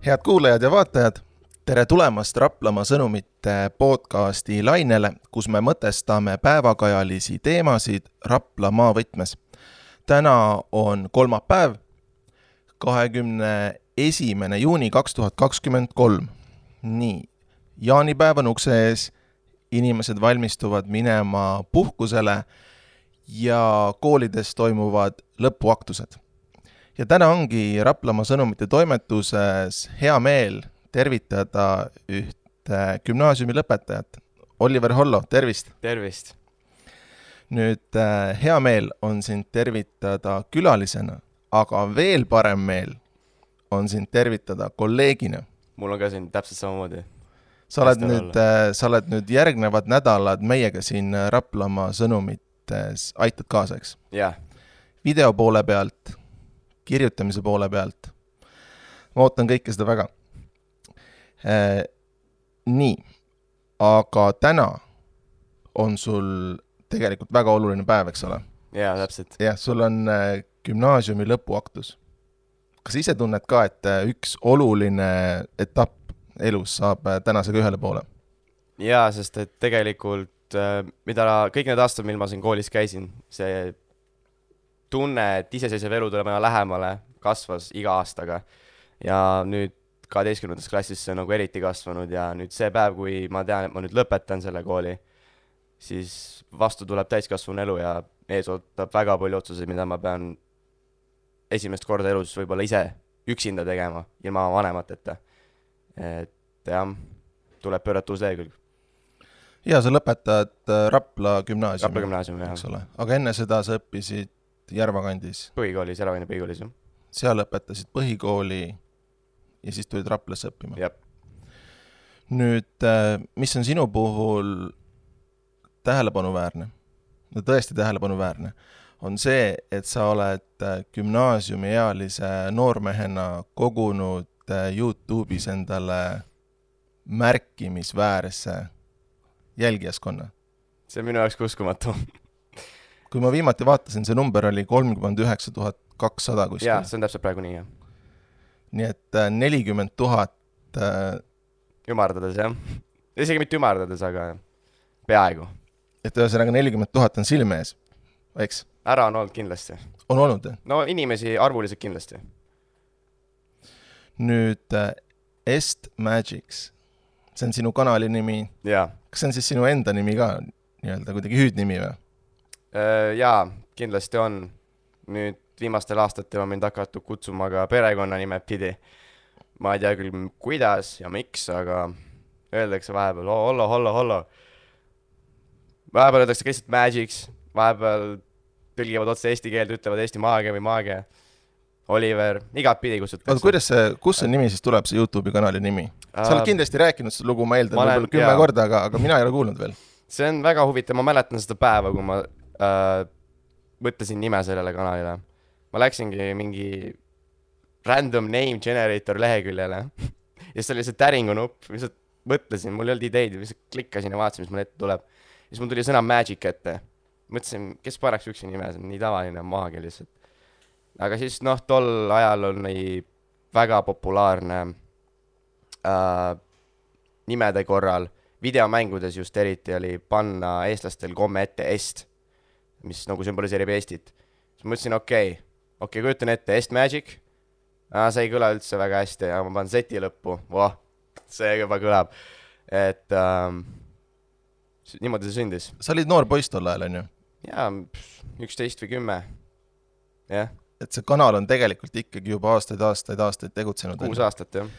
Head kuulajad ja vaatajad, tere tulemast Raplamaa sõnumite podcasti lainele, kus me mõtestame päevakajalisi teemasid Raplamaa võtmes. Täna on kolmapäev, 21. juuni 2023. Nii, jaanipäev on ukse ees, inimesed valmistuvad minema puhkusele ja koolides toimuvad lõpuaktused. Ja täna ongi Raplamaa sõnumite toimetuses hea meel tervitada ühte gümnaasiumi lõpetajat. Oliver Hollo, tervist! Tervist! Nüüd hea meel on sind tervitada külalisena, aga veel parem meel on sind tervitada kolleegina. Mul on ka siin täpselt samamoodi. Sa oled nüüd järgnevad nädalad meiega siin Raplamaa sõnumites aitad kaasaks. Jah. Video poole pealt, kirjutamise poole pealt. Ma ootan kõike seda väga. Nii, aga täna on sul tegelikult väga oluline päev, eks ole? Jaa, täpselt. Jah, sul on gümnaasiumi lõpuaktus. Kas ise tunned ka, et üks oluline etapp elus saab tänasega ühele poole? Jaa, sest et tegelikult kõik need aastad, mil ma siin koolis käisin, see tunne, et iseseisev elu tuleb aina lähemale, kasvas iga aastaga. Ja nüüd 12. klassis see on nagu eriti kasvanud ja nüüd see päev, kui ma tean, et ma nüüd lõpetan selle kooli, siis vastu tuleb täiskasvanu elu ja ees ootab väga palju otsuseid, mida ma pean esimest korda elus võib-olla ise üksinda tegema, ilma vanemateta. Et jah, tuleb pöörata uus lehekülg. Ja sa lõpetad Rapla gümnaasiumi. Rapla gümnaasiumi, jah. Aga enne seda sa õppisid Järvakandis. Põhikoolis, Järvakandi põhikoolis, jah. Seal õpetasid põhikooli ja siis tulid Raplasse õppima. Jep. Nüüd, mis on sinu puhul tähelepanuväärne, no tõesti tähelepanuväärne, on see, et sa oled gümnaasiumiealise noormehena kogunud YouTube'is endale märkimisväärse jälgijaskonna. See on minu jaoks uskumatu. Kui ma viimati vaatasin, see number oli 39 200 kuskil. Jaa, see on täpselt praegu nii, jah. Nii et 40 000... Ümardades, jah. Isegi mitte ümardades, aga peaaegu. Et ühesõnaga 40 000 on silme ees, eks? Ära on olnud kindlasti. On olnud, jah? No inimesi arvuliselt kindlasti. Nüüd Est Magics, see on sinu kanali nimi. Jaa. Kas see on siis sinu enda nimi ka, nii-öelda kuidagi hüüdnimi või? Jaa, kindlasti on. Nüüd viimastel aastatel on mind hakatud kutsuma ka perekonna nime pidi. Ma ei tea küll kuidas ja miks, aga öeldakse vahepeal Hollo. Vahepeal öeldakse lihtsalt Magics, vahepeal tõlgivad otse eesti keeld, ütlevad Eesti maagia või maagia. Oliver, igat pidi kutsutakse. Kus see nimi siis tuleb, see YouTube'i kanali nimi? Sa oled kindlasti rääkinud seda lugu, ma eeldan võib-olla 10 korda, aga mina ei ole kuulnud veel. See on väga huvitav, ma mäletan seda päeva, kui ma mõtlesin nime sellele kanalile. Ma läksingi mingi random name generator leheküljele ja see oli see täringu nupp, mis mõtlesin, mul ei olnud ideid, mis klikkasin ja vaatasin, mis mul ette tuleb. Ja siis mul tuli sõna Magic ette. Mõtlesin, kes paraks üksi nime, see on nii tavaline maagia lihtsalt. Aga siis tol ajal on väga populaarne nimede korral, videomängudes just eriti oli panna eestlastel komme ette Est, mis nagu sümboliseerib Eestit. Siis mõtlesin, okei, kujutan ette Est Magic, see ei kõla üldse väga hästi ja ma panen seti lõppu, see juba kõlab. Et niimoodi see sündis. Sa olid noor poiss tol ajal, on ju? Jaa, 11 või 10. Jah. Et see kanal on tegelikult ikkagi juba aastaid tegutsenud. 6 aastat, jah.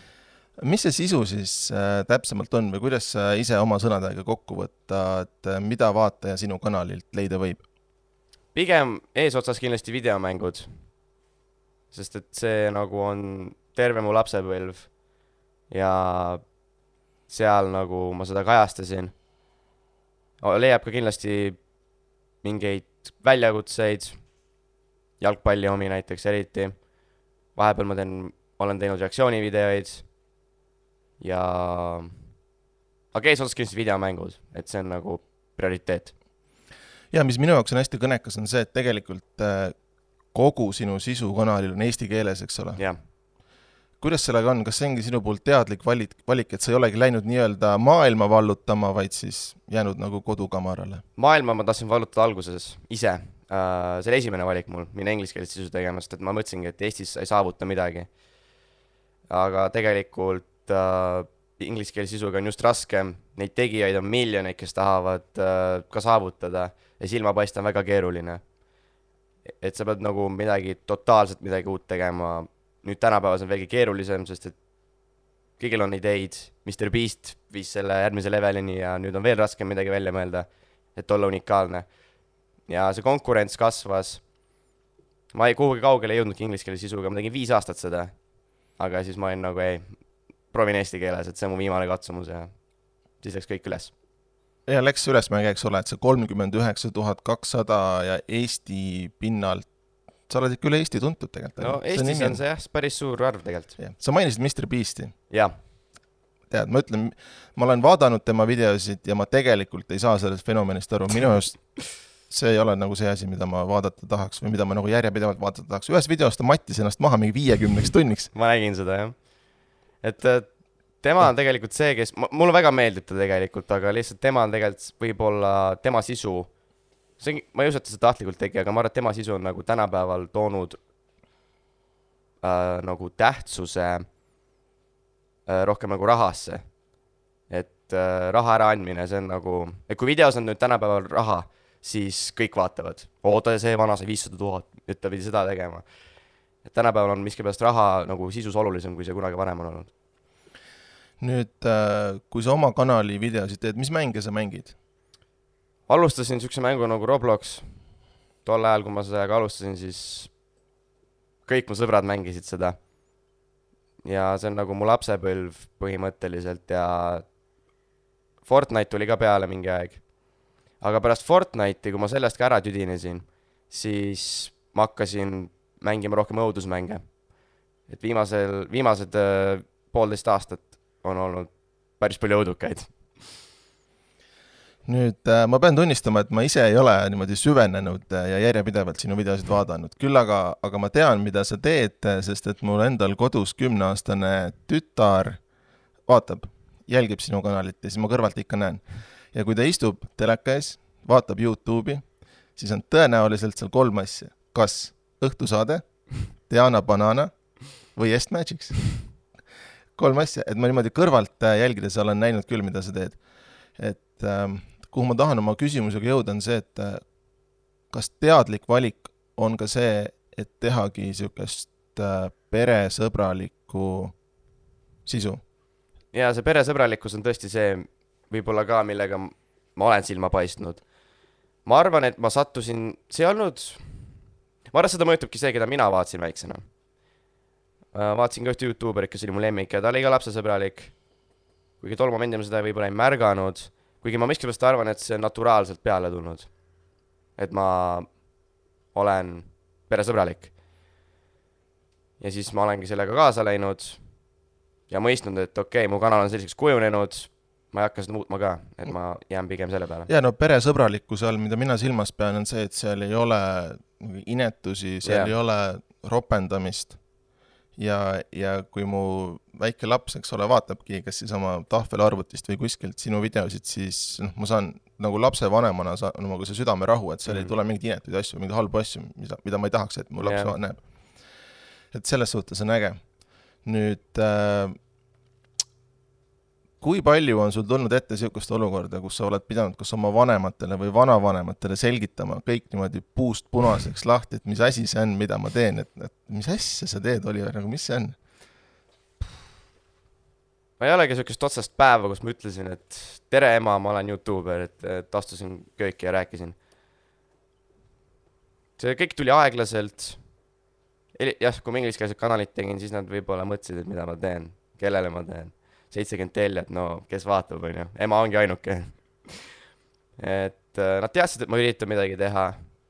Mis see sisu siis täpsemalt on või kuidas sa ise oma sõnadega kokku võtta, et mida vaataja sinu kanalilt leida võib? Pigem eesotsas kindlasti videomängud, sest et see nagu on terve mu lapsepõlv ja seal nagu ma seda kajastasin. Leiab ka kindlasti mingeid väljakutseid, jalgpalli omi näiteks eriti. Vahepeal ma olen teinud reaktsioonivideoid ja aga eesotsas kindlasti videomängud, et see on nagu prioriteet. Ja mis minu jaoks on hästi kõnekas on see, et tegelikult kogu sinu sisu kanalil on eesti keeles, eks ole? Jah. kuidas sellega on, kas see ongi sinu poolt teadlik valik, et sa ei olegi läinud nii-öelda maailma vallutama, vaid siis jäänud nagu kodukamarale? Maailma ma tahtsin vallutada alguses ise. See oli esimene valik mul, minna ingliskeelist sisu tegema, sest et ma mõtlesingi, et Eestis ei saavuta midagi. Aga tegelikult ingliskeelise sisuga on just raskem, neid tegijaid on miljoneid, kes tahavad ka saavutada ja silma paista on väga keeruline. Et sa pead nagu totaalselt midagi uut tegema. Nüüd tänapäevas on veelgi keerulisem, sest et kõigil on ideid. Mr. Beast viis selle järgmise levelini ja nüüd on veel raskem midagi välja mõelda, et olla unikaalne. Ja see konkurents kasvas. Ma ei kuhugi kaugele ei jõudnudki ingliskeelise sisuga, ma tegin 5 aastat seda. Aga siis ma olin nagu proovin eesti keeles, et see on mu viimane katsumus ja siis läks kõik üles. Ja läks ülesmäge, eks ole, et see 39 200 ja Eesti pinnalt, sa oled ikka üle Eesti tuntud tegelikult. No Eestis on see päris suur arv tegelikult. Sa mainisid Mr. Beasti. Jah. Tead, ma ütlen, ma olen vaadanud tema videosid ja ma tegelikult ei saa sellest fenomenist aru. Minu just see ei ole nagu see asi, mida ma vaadata tahaks või mida ma nagu järjepidevalt vaadata tahaks. Ühes videost ta mattis ennast maha mingi 50 tunniks. Ma nägin seda, jah. Et tema on tegelikult see, kes, mulle väga meeldib ta tegelikult, aga lihtsalt tema on tegelikult võib-olla tema sisu, ma ei usu, et ta seda tahtlikult tegi, aga ma arvan, et tema sisu on nagu tänapäeval toonud nagu tähtsuse rohkem nagu rahasse. Et raha ära andmine, see on nagu, et kui videos on nüüd tänapäeval raha, siis kõik vaatavad. Oota, see vana sai 500 000, nüüd ta pidi seda tegema. Et tänapäeval on miskipärast raha nagu sisus olulisem, kui see kunagi varem on olnud. Nüüd, kui sa oma kanali videosid teed, mis mänge sa mängid? Alustasin sükse mängu nagu Roblox. Tol ajal, kui ma sellega alustasin, siis kõik mu sõbrad mängisid seda. Ja see on nagu mu lapsepõlv põhimõtteliselt ja Fortnite tuli ka peale mingi aeg. Aga pärast Fortnite'i, kui ma sellest ka ära tüdinesin, siis ma hakkasin mängima rohkem õudusmänge. Et viimased 1,5 aastat on olnud päris palju õudukaid. Nüüd ma pean tunnistama, et ma ise ei ole niimoodi süvenenud ja järjepidevalt sinu videosid vaadanud. Küll aga ma tean, mida sa teed, sest et mul endal kodus 10-aastane tütar vaatab, jälgib sinu kanalit ja siis ma kõrvalt ikka näen. Ja kui ta istub teleka ees, vaatab YouTube'i, siis on tõenäoliselt seal 3 asja. Kas õhtusaade, Diana Banana või Est Magics. 3 asja, et ma niimoodi kõrvalt jälgides olen näinud küll, mida sa teed. Et kuhu ma tahan oma küsimusega jõuda on see, et kas teadlik valik on ka see, et tehagi niisugust peresõbralikku sisu? Ja see peresõbralikkus on tõesti see võib-olla ka, millega ma olen silma paistnud. Ma arvan, et ma sattusin, see olnud, ma arvan, seda mõjutubki see, keda mina vaatasin väiksena. Vaatasin ka ühte YouTuberit, kes oli mu lemmik ja ta oli ka lapsesõbralik. Kuigi tol momendil ma seda võib-olla ei märganud, kuigi ma miskipärast arvan, et see on naturaalselt peale tulnud. Et ma olen peresõbralik. Ja siis ma olengi sellega kaasa läinud ja mõistnud, et okei, mu kanal on selliseks kujunenud, ma ei hakka seda muutma ka, et ma jään pigem selle peale. Ja no peresõbralikkuse all, mida mina silmas pean, on see, et seal ei ole inetusi, seal ei ole ropendamist. Ja kui mu väike laps, eks ole, vaatabki kas siis oma tahvelarvutist või kuskilt sinu videosid, siis ma saan nagu lapse vanemana nagu see südame rahu, et seal ei tule mingid inetuid asju, mingid halbu asju, mida ma ei tahaks, et mu laps näeb. Et selles suhtes on äge. Nüüd, kui palju on sul tulnud ette niisugust olukorda, kus sa oled pidanud kas oma vanematele või vanavanematele selgitama kõik niimoodi puust punaseks lahti, et mis asi see on, mida ma teen, et mis asja sa teed, Oliver, nagu mis see on? Ma ei olegi niisugust otsast päeva, kus ma ütlesin, et tere ema, ma olen YouTuber, et astusin kööki ja rääkisin. See kõik tuli aeglaselt. Jah, kui ma ingliskeelset kanalit tegin, siis nad võib-olla mõtlesid, et mida ma teen, kellele ma teen. 70 tellijat, no kes vaatab, on ju. Ema ongi ainuke. Et nad teadsid, et ma üritan midagi teha.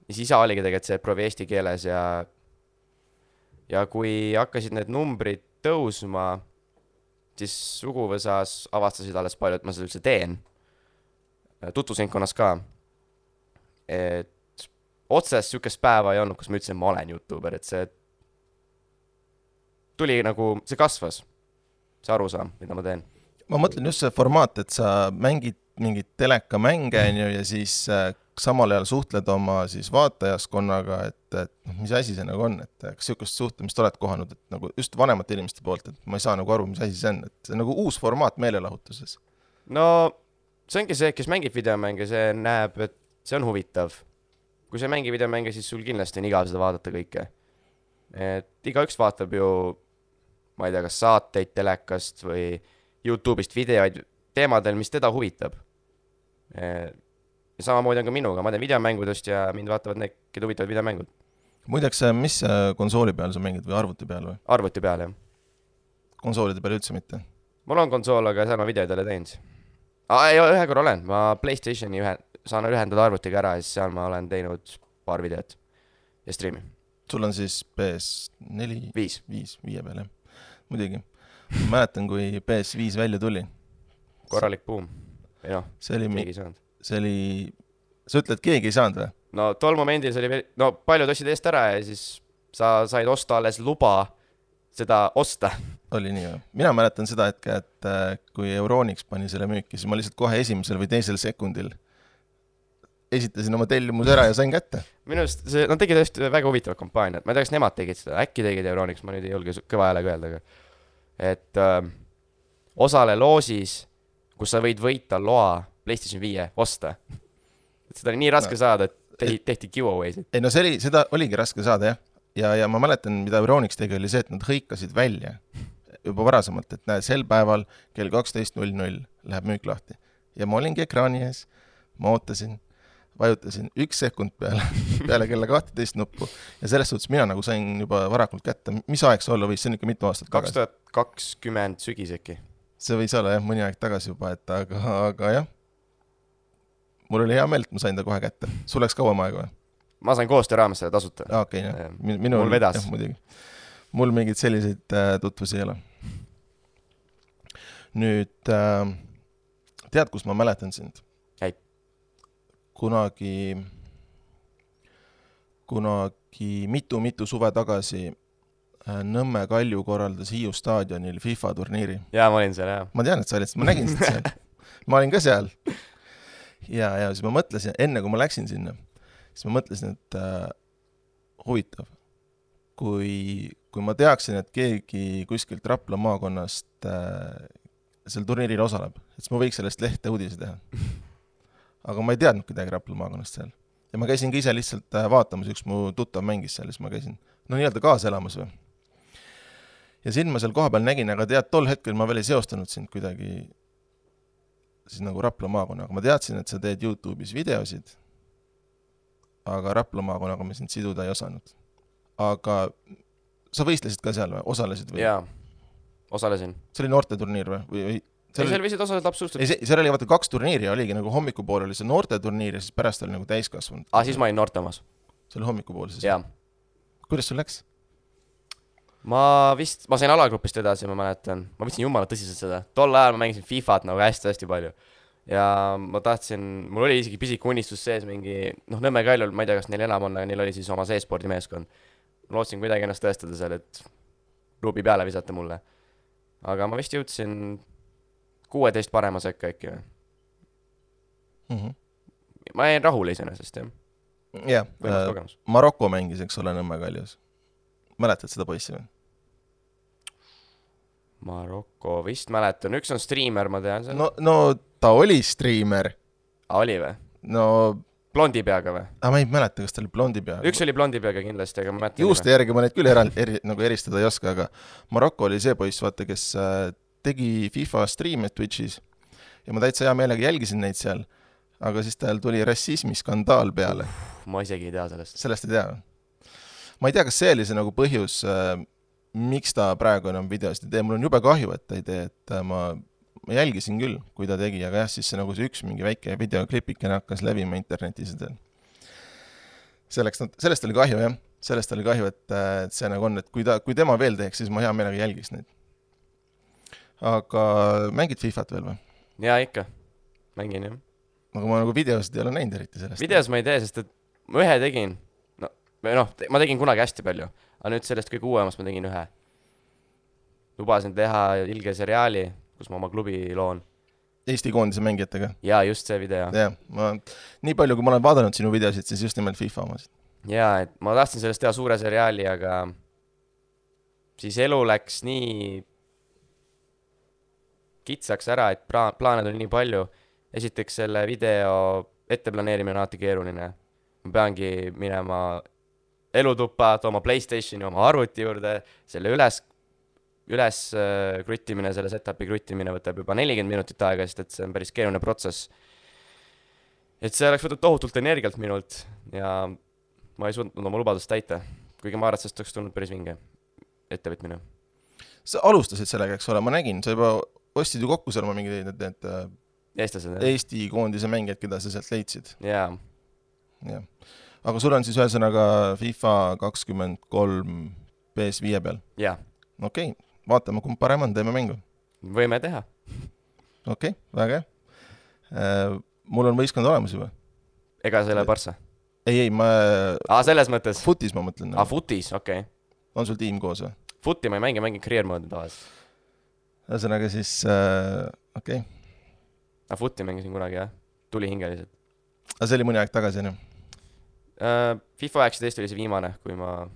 Ja siis isa oligi tegelikult see proovi eesti keeles ja kui hakkasid need numbrid tõusma, siis suguvõsas avastasid alles palju, et ma seda üldse teen. Tutvusringkonnas ka. Et otsest niisugust päeva ei olnud, kus ma ütlesin, et ma olen YouTuber, et see tuli nagu, see kasvas, see arusaam, mida ma teen. ma mõtlen just see formaat, et sa mängid mingit telekamänge ja siis samal ajal suhtled oma siis vaatajaskonnaga, et mis asi see nagu on, et kas sihukest suhtlemist oled kohanud, et nagu just vanemate inimeste poolt, et ma ei saa nagu aru, mis asi see on, et see on nagu uus formaat meelelahutuses. No see ongi see, kes mängib videomänge, see näeb, et see on huvitav. Kui sa mängib videomänge, siis sul kindlasti on igav seda vaadata kõike. Et igaüks vaatab ju, ma ei tea, kas saateid telekast või YouTube'ist videoid teemadel, mis teda huvitab. Ja samamoodi on ka minuga, ma teen videomängudest ja mind vaatavad need, keda huvitavad videomängud. Muideks, mis konsooli peal sa mängid või arvuti peal või? Arvuti peal, jah. Konsoolide peal üldse mitte? Mul on konsool, aga seal ma videoid ei ole teinud. Ühe korra olen, ma PlayStationi saan ühendada arvutiga ära ja siis seal ma olen teinud paar videot ja streami. Sul on siis PS4? 5 peal, jah. Muidugi. Ma mäletan, kui PS5 välja tuli. Korralik buum. Ei noh, keegi ei saanud. See oli, sa ütled, keegi ei saanud või? No tol momendil see oli, no paljud ostsid eest ära ja siis sa said osta alles luba seda osta. Oli nii või? Mina mäletan seda hetke, et kui Euronics pani selle müüki, siis ma lihtsalt kohe esimesel või teisel sekundil esitasin oma tellimus ära ja sain kätte. Minu arust see, nad tegid just väga huvitavat kampaaniat, ma ei tea, kas nemad tegid seda, äkki tegid Euronics, ma nüüd ei julge kõva häälega öelda, et osale loosis, kus sa võid võita loa PlayStation 5 osta. Et seda oli nii raske saada, et tehti giveaway'sid. Ei no seda oligi raske saada, jah. Ja ma mäletan, mida Euronics tegi, oli see, et nad hõikasid välja juba varasemalt, et näed, sel päeval kell 12.00 läheb müük lahti. Ja ma olingi ekraani ees, ma ootasin, vajutasin 1 sekund peale kella 12 nuppu ja selles suhtes mina nagu sain juba varakult kätte. Mis aeg see olla võis? See on ikka mitu aastat tagasi. 2020 sügis äkki. See võis olla jah, mõni aeg tagasi juba, et aga jah. Mul oli hea meel, et ma sain ta kohe kätte. Sul läks kauem aega või? Ma sain koostöö raames selle tasuta. Okei, jah. Mul vedas. Jah, muidugi. Mul mingid selliseid tutvusi ei ole. Nüüd, tead, kus ma mäletan sind? Ei. Kunagi mitu suve tagasi Nõmme Kalju korraldas Hiiu staadionil FIFA turniiri. Jaa, ma olin seal, jah. Ma tean, et sa olid, ma nägin sind seal. Ma olin ka seal. Ja siis ma mõtlesin, enne kui ma läksin sinna, siis ma mõtlesin, et huvitav, kui ma teaksin, et keegi kuskilt Rapla maakonnast seal turniiril osaleb, et siis ma võiks sellest lehte uudise teha. Aga ma ei teadnud kedagi Rapla maakonnast seal. Ja ma käisin ka ise lihtsalt vaatamas, üks mu tuttav mängis seal, siis ma käisin, no nii-öelda kaasa elamas või. Ja sind ma seal kohapeal nägin, aga tead, tol hetkel ma veel ei seostanud sind kuidagi siis nagu Rapla maakonna, aga ma teadsin, et sa teed YouTube'is videosid, aga Rapla maakonnaga me sind siduda ei osanud. Aga sa võistlesid ka seal või? Osalesid või? Jaa, osalesin. See oli noorteturniir või? Seal võisid osaleda absoluutselt. Seal oli vaata 2 turniiri, oligi nagu hommikupool oli see noorteturniir ja siis pärast oli nagu täiskasvanud. Siis ma olin noorte omas. See oli hommikupool siis? Jaa. Kuidas sul läks? Ma sain alagrupist edasi, ma mäletan. Ma võtsin jumala tõsiselt seda. Tol ajal ma mängisin FIFA't nagu hästi palju. Ja ma tahtsin, mul oli isegi pisik unistus sees mingi, Nõmme Kaljul, ma ei tea, kas neil enam on, aga neil oli siis oma e-spordi meeskond. Ma lootsin kuidagi ennast tõestada seal, et klubi peale visata mulle. Aga ma vist jõudsin 16 parema sekka äkki või. Ma jäin rahule iseenesest, jah. Jah, Maroko mängis, eks ole, Nõmme Kaljus. Mäletad seda poissi või? Maroko vist mäletan, üks on striimer, ma tean seal. No ta oli striimer. Oli või? No blondi peaga või? Ma ei mäleta, kas ta oli blondi peaga. Üks oli blondi peaga kindlasti, aga ma mäletan. Juuste järgi ma neid küll nagu eristada ei oska, aga Maroko oli see poiss, vaata, kes tegi FIFA striime Twitchis ja ma täitsa hea meelega jälgisin neid seal, aga siis tal tuli rassismiskandaal peale. Ma isegi ei tea sellest. Sellest ei tea. Ma ei tea, kas see oli see nagu põhjus, miks ta praegu enam videost ei tee. Mul on jube kahju, et ta ei tee, et ma jälgisin küll, kui ta tegi, aga jah, siis see nagu see üks mingi väike videoklipikene hakkas levima internetis. Sellest oli kahju, jah. Sellest oli kahju, et see nagu on, et kui tema veel teeks, siis ma hea meelega jälgiks neid. Aga mängid FIFA't veel või? Jaa, ikka. Mängin, jah. Aga ma nagu videosid ei ole näinud eriti sellest. Videos ma ei tee, sest et ma ühe tegin. Ma tegin kunagi hästi palju. Aga nüüd sellest kõige uuemast ma tegin ühe. lubasin teha ilge seriaali, kus ma oma klubi loon. Eesti koondise mängijatega. Jaa, just see video. Jah, nii palju, kui ma olen vaadanud sinu videosid, siis just nimelt FIFA omasid. Jaa, et ma tahtsin sellest teha suure seriaali, aga siis elu läks nii kitsaks ära, et plaaned on nii palju. Esiteks selle video etteplaneerimine on alati keeruline. Ma peangi minema elutuppa, tooma PlayStationi oma arvuti juurde, selle üles kruttimine, selle setupi kruttimine võtab juba 40 minutit aega, sest et see on päris keeruline protsess. Et see oleks võtnud tohutult energialt minult ja ma ei suutnud oma lubadust täita, kuigi ma arvan, et sellest oleks tulnud päris vinge ettevõtmine. Sa alustasid sellega, eks ole, ma nägin, sa juba ostsid ju kokku seal oma mingid need Eestlased, Eesti koondise mängijad, keda sa sealt leidsid. Jaa. Aga sul on siis ühesõnaga FIFA 23 PS5 peal? Jaa. Okei, vaatame, kumb parem on, teeme mängu. Võime teha. Okei, väga hea. Mul on võistkond olemas juba. Ega selle Barca? Ei, ma... selles mõttes? Footis ma mõtlen. Footis, okei. On sul tiim koos või? Footi ma ei mängin career mode'i tavalis. Ühesõnaga siis, okei. Footi mängisin kunagi, jah. Tuli hingeliselt. Aga see oli mõni aeg tagasi, jah? FIFA 19 oli see viimane, kui ma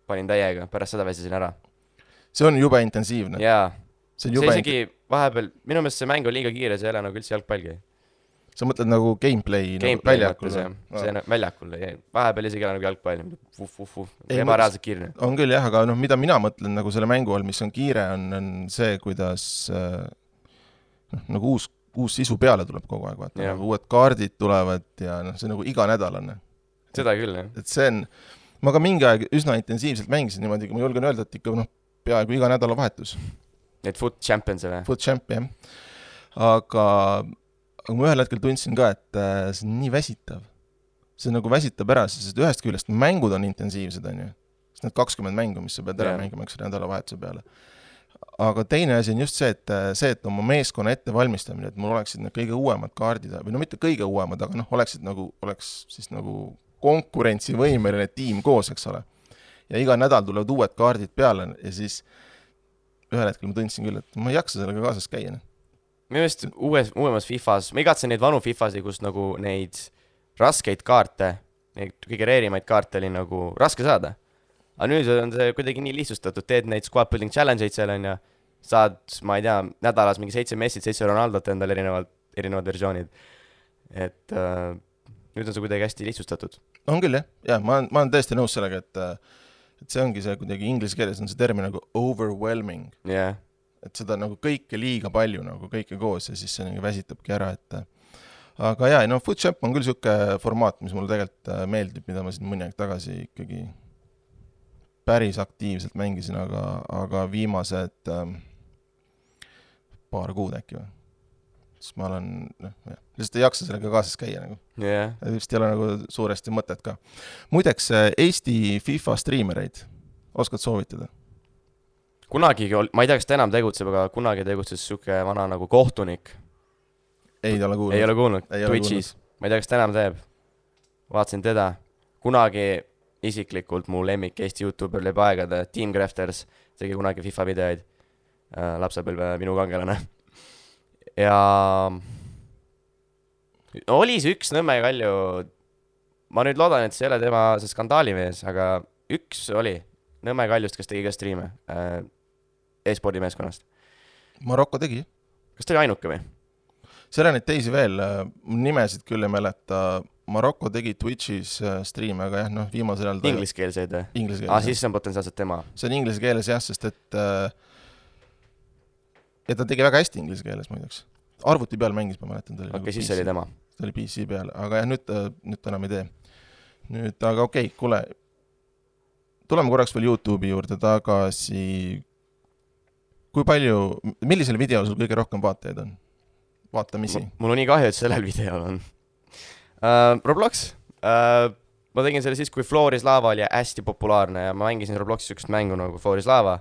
panin täiega, pärast seda väsisin ära. See on jube intensiivne. Jaa. See isegi vahepeal, minu meelest see mäng on liiga kiire, see ei ole nagu üldse jalgpalgi. Sa mõtled nagu gameplay väljakul? See on väljakul, vahepeal isegi nagu jalgpall, ebareaalselt kiirne. On küll jah, aga mida mina mõtlen nagu selle mängu all, mis on kiire, on see, kuidas nagu uus sisu peale tuleb kogu aeg, vaata, nagu uued kaardid tulevad ja see nagu iga nädal on. Seda küll, jah. Et see on, ma ka mingi aeg üsna intensiivselt mängisin niimoodi, ma julgen öelda, et ikka peaaegu iga nädala vahetus. Need Foot Champions või? Foot Champion, aga ma ühel hetkel tundsin ka, et see on nii väsitav. See nagu väsitab ära, sest ühest küljest mängud on intensiivsed, on ju. Sest need 20 mängu, mis sa pead ära mängima, eks nädala vahetuse peale. Aga teine asi on just see, et oma meeskonna ettevalmistamine, et mul oleksid need kõige uuemad kaardid, või mitte kõige uuemad, aga oleks siis nagu konkurentsivõimeline tiim koos, eks ole. Ja iga nädal tulevad uued kaardid peale ja siis ühel hetkel ma tundsin küll, et ma ei jaksa sellega kaasas käia. Minu meelest uuemas FIFAs, ma igatsen neid vanu FIFAsi, kus nagu neid raskeid kaarte, neid kõige reerimaid kaarte oli nagu raske saada. Aga nüüd on see kuidagi nii lihtsustatud, teed neid squad building challenge'id seal on ja saad, ma ei tea, nädalas mingi 7 Messit, 7 Ronaldot endal erinevad versioonid. Et nüüd on see kuidagi hästi lihtsustatud. On küll, jah. Ma olen tõesti nõus sellega, et see ongi see kuidagi inglise keeles on see termin nagu overwhelming. Yeah. Et seda nagu kõike liiga palju, nagu kõike koos ja siis see nagu väsitabki ära, et aga jaa, Foot Champ on küll siuke formaat, mis mulle tegelikult meeldib, mida ma siin mõni aeg tagasi ikkagi päris aktiivselt mängisin, aga viimased paar kuud äkki või. Siis ma olen, lihtsalt ei jaksa sellega kaasas käia nagu. Yeah. Vist ei ole nagu suuresti mõtet ka. Muideks, Eesti FIFA striimereid oskad soovitada? Kunagi, ma ei tea, kas ta enam tegutseb, aga kunagi tegutses siuke vana nagu kohtunik. Ei ole kuulnud. Ei ole kuulnud. Twitchis. Ma ei tea, kas ta enam teeb. Vaatasin teda. Kunagi isiklikult mu lemmik Eesti YouTuber läbi aegade, Team Crafters, tegi kunagi FIFA videoid, lapsepõlve minu kangelane. Ja oli see üks Nõmme Kalju, ma nüüd loodan, et see ei ole tema see skandaalimees, aga üks oli Nõmme Kaljust, kes tegi ka striime e-spordi meeskonnast. Marokko tegi. Kas ta oli ainuke või? Seal on neid teisi veel, nimesid küll ei mäleta. Marokko tegi Twitchis striime, aga jah, viimasel ajal ingliskeelseid või? Ingliskeelseid. Siis see on potentsiaalselt tema. See on inglise keeles jah, sest et ja ta tegi väga hästi inglise keeles muideks. Arvuti peal mängis, ma mäletan. Okei, siis oli tema. Ta oli PC peal, aga jah, nüüd ta enam ei tee. Nüüd, aga okei, kuule, tuleme korraks veel YouTube'i juurde tagasi. Kui palju, millisel videol sul kõige rohkem vaatajaid on? Vaatamisi. Mul on nii kahju, et sellel videol on. Roblox. Ma tegin selle siis, kui Floris Lava oli hästi populaarne ja ma mängisin Robloxis sükest mängu nagu Floris Lava.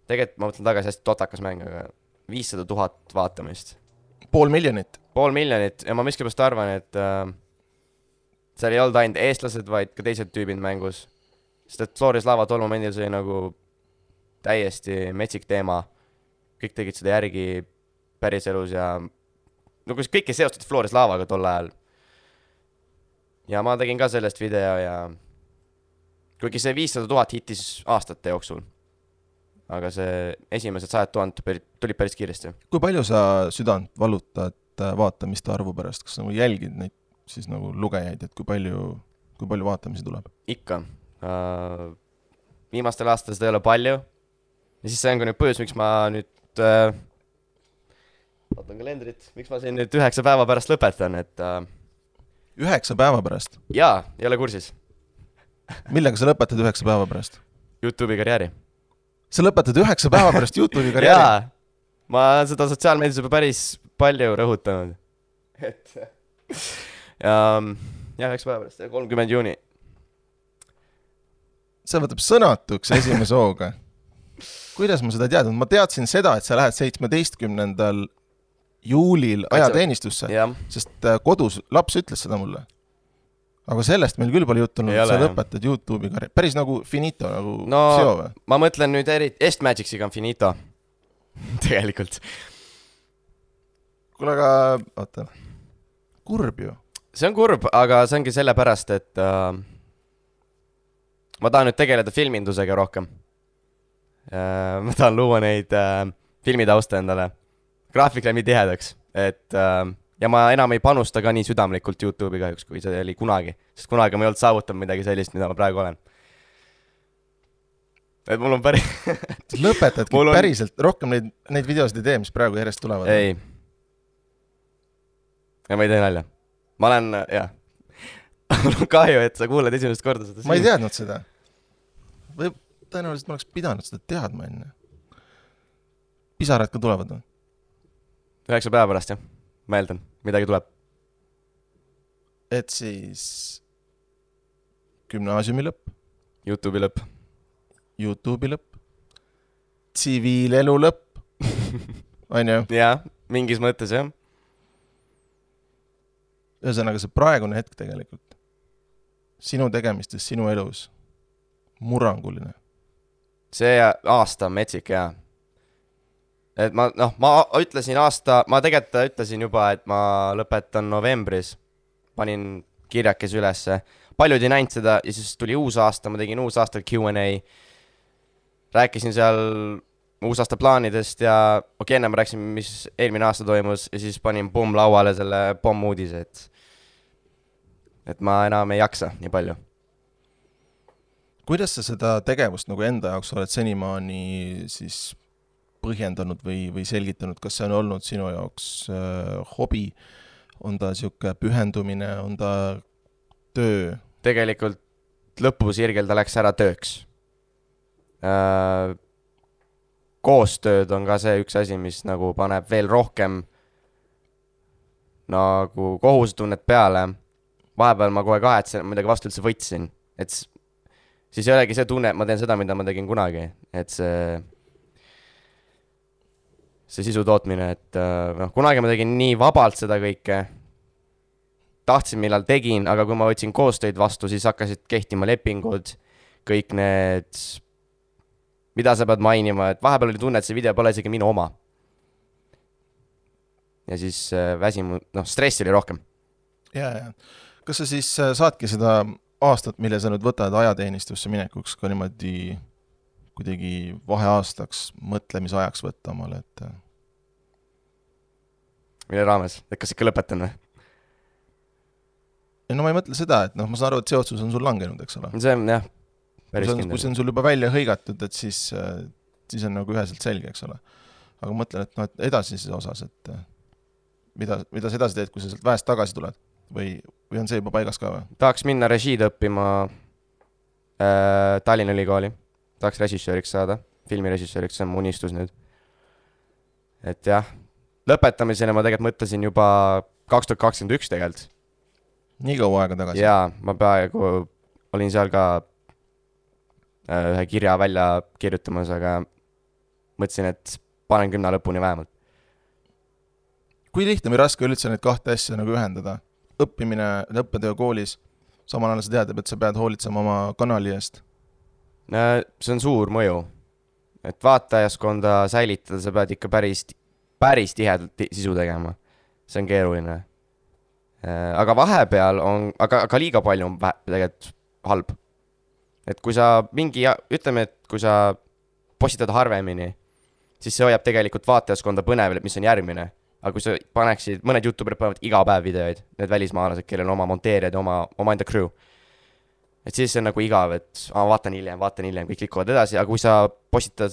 Tegelikult ma mõtlen tagasi hästi totakas mäng, aga 500 000 vaatamist. 500,000. 500,000 ja ma miskipärast arvan, et seal ei olnud ainult eestlased, vaid ka teised tüübid mängus. Sest et Floris Lava tol momendil see oli nagu täiesti metsik teema. Kõik tegid seda järgi päriselus ja no kus kõik ei seostatud Flores Lavaga tol ajal. Ja ma tegin ka sellest video ja kuigi see 500 000 hittis aastate jooksul. Aga see esimesed 100 000 tuli päris kiiresti. Kui palju sa südant valutad vaatamiste arvu pärast? Kas nagu jälgid neid siis nagu lugejaid, et kui palju vaatamisi tuleb? Ikka. Viimastel aastal seda ei ole palju. Ja siis see on ka nüüd põhjus, miks ma nüüd vaatan kalendrit, miks ma siin nüüd 9 päeva pärast lõpetan, et 9 päeva pärast? Jaa, ei ole kursis. Millega sa lõpetad 9 päeva pärast? YouTube'i karjääri. Sa lõpetad 9 päeva pärast YouTube'i karjääri? Jaa, ma seda sotsiaalmeedias juba päris palju rõhutanud. Et ja 9 päeva pärast, 30 juuni. See võtab sõnatuks esimese hooga. Kuidas ma seda teadnud? Ma teadsin seda, et sa lähed 17. juulil ajateenistusse, sest kodus laps ütles seda mulle. Aga sellest meil küll palju juttunud, et sa lõpetad YouTube'i karjääri. Päris nagu finito, nagu seo või? Ma mõtlen nüüd Est-Magicsiga on finito. Tegelikult. Kuule, aga oota, kurb ju. See on kurb, aga see ongi selle pärast, et ma tahan nüüd tegeleda filmindusega rohkem. Ma tahan luua neid filmitausta endale. Graafik läheb nii tihedaks, et ja ma enam ei panusta ka nii südamlikult YouTube'i kahjuks, kui see oli kunagi. Sest kunagi ma ei olnud saavutanud midagi sellist, mida ma praegu olen. Et mul on päris... Lõpetadki päriselt rohkem neid videosid ei tee, mis praegu järjest tulevad? Ei. Ja ma ei tee nalja. Ma olen, jah. Mul on kahju, et sa kuuled esimest korda seda. Ma ei teadnud seda. Või tõenäoliselt ma oleks pidanud seda teadma enne. Pisarad ka tulevad või? 9 päeva pärast, jah. Ma eeldan, midagi tuleb. Et siis gümnaasiumi lõpp. YouTube'i lõpp. YouTube'i lõpp. Tsiviilelu lõpp. On ju? Jaa, mingis mõttes, jah. Ühesõnaga see praegune hetk tegelikult. Sinu tegemistes, sinu elus. Muranguline. See aasta on metsik, jah. Et ma ütlesin ma tegelikult ütlesin juba, et ma lõpetan novembris. Panin kirjakes ülesse. Paljud ei näinud seda ja siis tuli uus aasta, ma tegin uus aasta Q&A. Rääkisin seal uus aasta plaanidest ja enne ma rääkisin, mis eelmine aasta toimus ja siis panin lauale selle uudise, et ma enam ei jaksa nii palju. Kuidas sa seda tegevust nagu enda jaoks oled senimaani siis põhjendanud või selgitanud, kas see on olnud sinu jaoks hobi, on ta siuke pühendumine, on ta töö? Tegelikult lõpusirgel ta läks ära tööks. Koostööd on ka see üks asi, mis nagu paneb veel rohkem nagu kohustunnet peale. Vahepeal ma kohe kahetsen, midagi vastu üldse võtsin. Et siis ei olegi see tunne, et ma teen seda, mida ma tegin kunagi. Et see sisu tootmine, et kunagi ma tegin nii vabalt seda kõike. Tahtsin, millal tegin, aga kui ma võtsin koostöid vastu, siis hakkasid kehtima lepingud, kõik need, mida sa pead mainima, et vahepeal oli tunne, et see video pole isegi minu oma. Ja siis stress oli rohkem. Ja. Kas sa siis saadki seda aastat, mille sa nüüd võtad ajateenistusse minekuks ka niimoodi kuidagi vaheaastaks mõtlemisajaks võtta omale, et... Mille raames? Et kas ikka lõpetan või? No ma ei mõtle seda, et ma saan aru, et see otsus on sul langenud, eks ole? See on, jah, päris kindel. Kui see on sul juba välja hõigatud, et siis on nagu üheselt selge, eks ole. Aga mõtlen, et edasises osas, et mida sa edasi teed, kui sa sealt väest tagasi tuled? Või on see juba paigas ka või? Tahaks minna režiid õppima Tallinna Ülikooli. Tahaks režissööriks saada, filmirežissööriks, see on mu unistus nüüd. Et jah, lõpetamisena ma tegelikult mõtlesin juba 2021 tegelikult. Nii kaua aega tagasi? Jaa, ma peaaegu olin seal ka ühe kirja välja kirjutamas, aga mõtlesin, et panen 10 lõpuni vähemalt. Kui lihtne või raske üldse neid kahte asja nagu ühendada? Õppimine, õppetöö koolis, samal ajal sa tead, et sa pead hoolitsema oma kanali eest. See on suur mõju. et vaatajaskonda säilitada, sa pead ikka päris tihedalt sisu tegema. See on keeruline. Aga vahepeal on, aga liiga palju on tegelikult halb. Et kui sa ütleme, et kui sa postitad harvemini, siis see hoiab tegelikult vaatajaskonda põnevil, mis on järgmine. Aga kui sa paneksid, mõned YouTuberid panevad iga päev videoid, need välismaalased, kellel on oma monteerijad ja oma enda crew. Et siis see on nagu igav, et vaatan hiljem, kõik likuvad edasi, aga kui sa postitad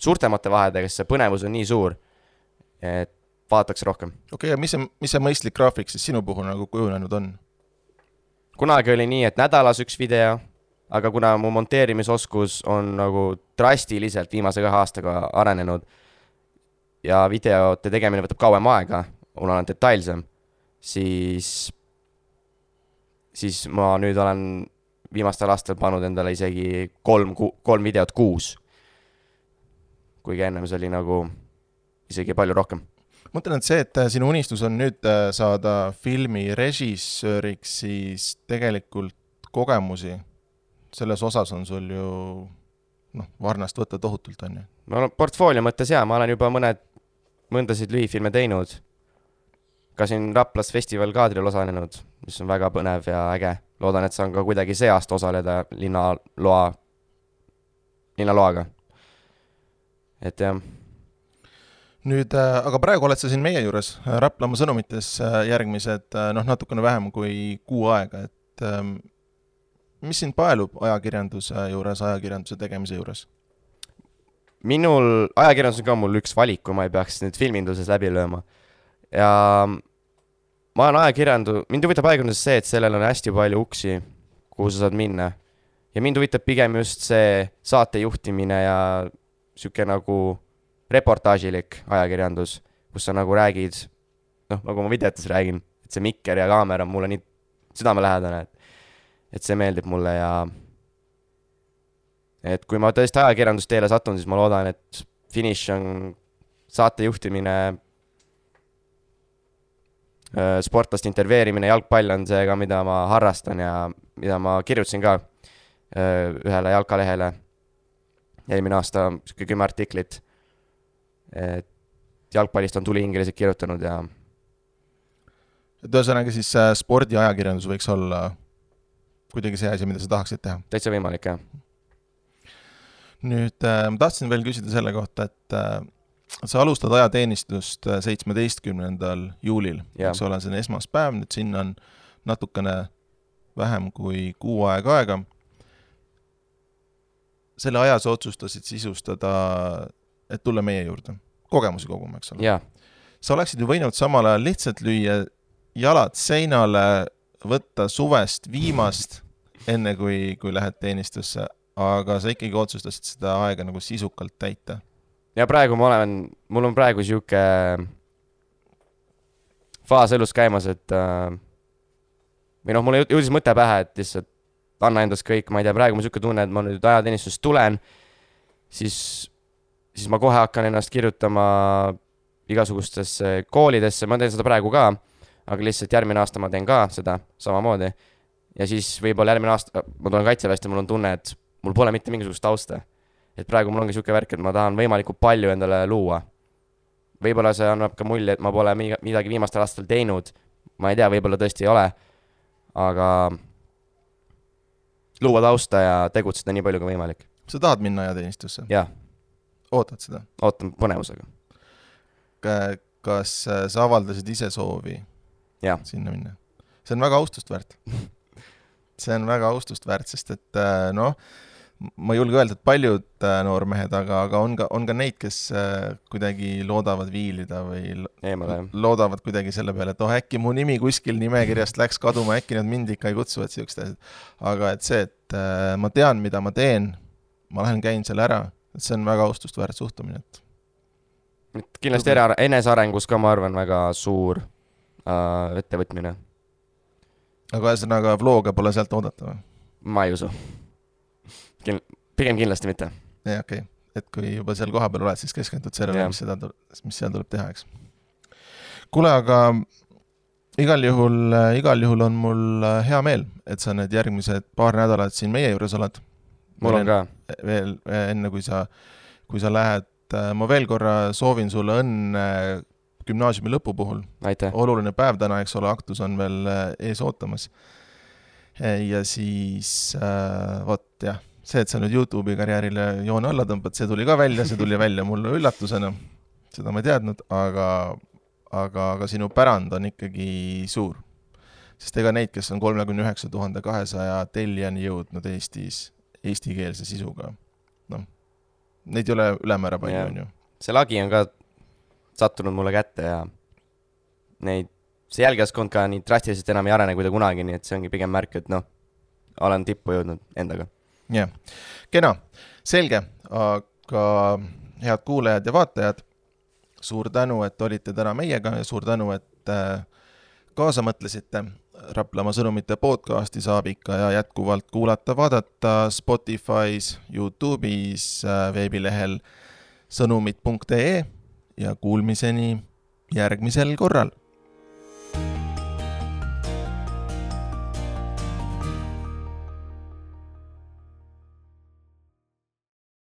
suurtemate vahedega, siis see põnevus on nii suur, et vaadatakse rohkem. Okei, ja mis see mõistlik graafik siis sinu puhul nagu kujunenud on? Kunagi oli nii, et nädalas üks video, aga kuna mu monteerimisoskus on nagu drastiliselt viimase 2 aastaga arenenud ja videote tegemine võtab kauem aega, mul on detailsem, siis ma nüüd olen viimastel aastal pannud endale isegi 3 videot kuus. Kuigi ennem see oli nagu isegi palju rohkem. Mõtlen, et see, et sinu unistus on nüüd saada filmi režissööriks, siis tegelikult kogemusi selles osas on sul ju varnast võtta tohutult on ju. No portfoolio mõttes jaa, ma olen juba mõndasid lühifilme teinud. Ka siin Raplas festival kaadril osalenud, mis on väga põnev ja äge. Loodan, et saan ka kuidagi see aasta osaleda linnaloaga. Et jah. Nüüd, aga praegu oled sa siin meie juures Raplamaa sõnumites järgmised natukene vähem kui 6 aega, et mis sind paelub ajakirjanduse tegemise juures? Minul, ajakirjandus on ka mul üks valik, kui ma ei peaks nüüd filminduses läbi lööma. Ja ma olen mind huvitab ajakirjanduses see, et sellel on hästi palju uksi, kuhu sa saad minna. Ja mind huvitab pigem just see saate juhtimine ja siuke nagu reportaažilik ajakirjandus, kus sa nagu räägid, nagu ma videotes räägin, et see mikker ja kaamera on mulle nii südamelähedane, et see meeldib mulle ja et kui ma tõesti ajakirjandusteele satun, siis ma loodan, et finish on saate juhtimine, sportlast intervjueerimine, jalgpall on see ka, mida ma harrastan ja mida ma kirjutasin ka ühele jalkalehele eelmine aasta 10 artiklit. Et jalgpallist on tulihingelised kirjutanud ja et ühesõnaga siis spordiajakirjandus võiks olla kuidagi see asi, mida sa tahaksid teha? Täitsa võimalik, jah. Nüüd ma tahtsin veel küsida selle kohta, et sa alustad ajateenistust 17. juulil, eks ole, see on esmaspäev, nüüd sinna on natukene vähem kui 6 aega. Selle aja sa otsustasid sisustada, et tulla meie juurde, kogemusi koguma, eks ole. Ja. Sa oleksid ju võinud samal ajal lihtsalt lüüa jalad seinale, võtta suvest viimast, enne kui lähed teenistusse, aga sa ikkagi otsustasid seda aega nagu sisukalt täita. Ja praegu mul on praegu siuke faas elus käimas, et või mulle jõudis mõte pähe, et lihtsalt anna endast kõik, ma ei tea, praegu ma siuke tunne, et ma nüüd ajateenistust tulen, siis ma kohe hakkan ennast kirjutama igasugustesse koolidesse, ma teen seda praegu ka, aga lihtsalt järgmine aasta ma teen ka seda samamoodi. Ja siis võib-olla järgmine aasta ma tulen kaitseväest ja mul on tunne, et mul pole mitte mingisugust tausta. Et praegu mul ongi siuke värk, et ma tahan võimalikult palju endale luua. Võib-olla see annab ka mulje, et ma pole midagi viimastel aastal teinud. Ma ei tea, võib-olla tõesti ei ole, aga luua tausta ja tegutseda nii palju kui võimalik. Sa tahad minna ajateenistusse? Jah. Ootad seda? Ootan põnevusega. Kas sa avaldasid ise soovi sinna minna? See on väga austust väärt. See on väga austust väärt, sest et ma ei julge öelda, et paljud noormehed, aga on ka neid, kes kuidagi loodavad viilida või loodavad kuidagi selle peale, et äkki mu nimi kuskil nimekirjast läks kaduma, äkki nad mind ikka ei kutsuvad siukest asjad. Aga et see, et ma tean, mida ma teen, ma lähen käin selle ära, et see on väga austust väärt suhtumine. Kindlasti enesearengus ka, ma arvan, väga suur ettevõtmine. Aga ühesõnaga vlooga pole sealt oodata või? Ma ei usu. Pigem kindlasti mitte. Ja, okei. Et kui juba seal koha peal oled, siis keskendud sellele, mis seal tuleb teha, eks. Kuule, aga igal juhul on mul hea meel, et sa need järgmised paar nädalat siin meie juures oled. Mul on ka. Veel enne, kui sa kui sa lähed, ma veel korra soovin sulle õnne gümnaasiumi lõpu puhul. Aitäh. Oluline päev täna, eks ole, aktus on veel ees ootamas. Ja siis, jah, see, et sa nüüd YouTube'i karjäärile joone alla tõmbad, see tuli ka välja, see tuli välja mulle üllatusena, seda ma ei teadnud, aga sinu pärand on ikkagi suur. Sest ega neid, kes on 39 200 tellijani jõudnud Eestis eestikeelse sisuga, neid ei ole ülemäära palju, on ju. See lagi on ka sattunud mulle kätte ja see jälgijaskond ka nii drastiliselt enam ei arene kui ta kunagi, nii et see ongi pigem märk, et olen tippu jõudnud endaga. Jah, kena, selge, aga head kuulajad ja vaatajad, suur tänu, et olite täna meiega ja suur tänu, et kaasa mõtlesite. Raplamaa sõnumite podcasti saab ikka ja jätkuvalt kuulata, vaadata Spotify's, YouTube'is, veebilehel sõnumid.ee ja kuulmiseni järgmisel korral.